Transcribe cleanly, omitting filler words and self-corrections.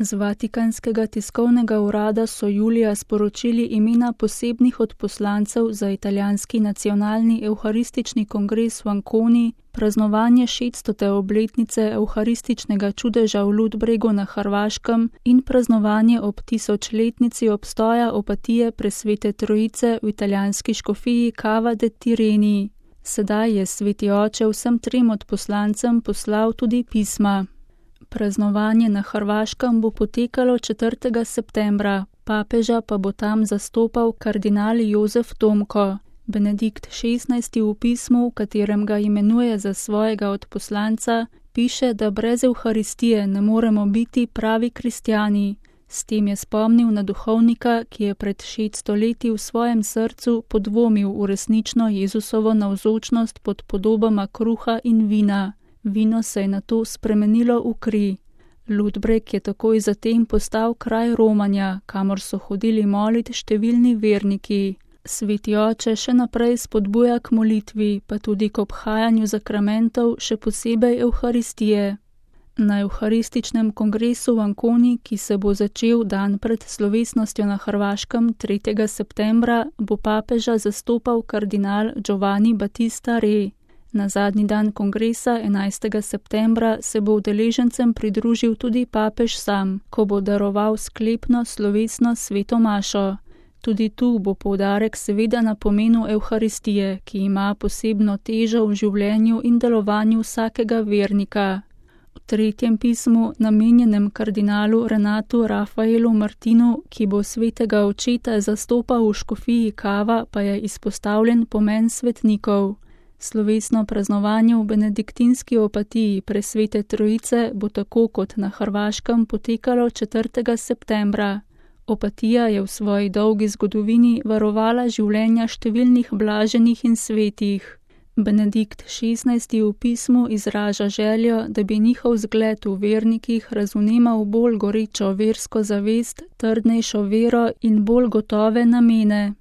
Z Vatikanskega tiskovnega urada so julija sporočili imena posebnih odposlancev za italijanski nacionalni evharistični kongres v Anconi, praznovanje 600. obletnice evharističnega čudeža v Ludbregu na Hrvaškem in praznovanje ob 1000-letnici obstoja Opatije Presvete Trojice v italijanski škofiji Cava de' Tirreni. Sedaj je sveti oče vsem trem odposlancem poslal tudi pisma. Praznovanje na Hrvaškem bo potekalo 4. septembra, papeža pa bo tam zastopal kardinal Jozef Tomko. Benedikt XVI. V pismu, v katerem ga imenuje za svojega odposlanca, piše, da brez Evharistije ne moremo biti pravi kristjani. S tem je spomnil na duhovnika, ki je pred 600 leti v svojem srcu podvomil v resnično Jezusovo navzočnost pod podobama kruha in vina. Vino se je nato spremenilo v kri. Ludbreg je takoj zatem postal kraj romanja, kamor so hodili molit številni verniki. Sveti oče še naprej spodbuja k molitvi, pa tudi k obhajanju zakramentov, še posebej Evharistije. Na Evharističnem kongresu v Anconi, ki se bo začel dan pred slovesnostjo na Hrvaškem 3. septembra, bo papeža zastopal kardinal Giovanni Battista Re. Na zadnji dan kongresa 11. septembra se bo udeležencem pridružil tudi papež sam, ko bo daroval sklepno slovesno sveto mašo. Tudi tu bo poudarek seveda na pomenu Evharistije, ki ima posebno težo v življenju in delovanju vsakega vernika. V 3. pismu, namenjenem kardinalu Renatu Rafaelu Martinu, ki bo svetega očeta zastopal v škofiji Cava, pa je izpostavljen pomen svetnikov. Slovesno praznovanje v benediktinski opatiji Presvete Trojice bo tako kot na Hrvaškem potekalo 4. septembra. Opatija je v svoji dolgi zgodovini varovala življenja številnih blaženih in svetih. Benedikt XVI. V pismu izraža željo, da bi njihov zgled v vernikih razvnemal bolj gorečo versko zavest, trdnejšo vero in bolj gotove namene.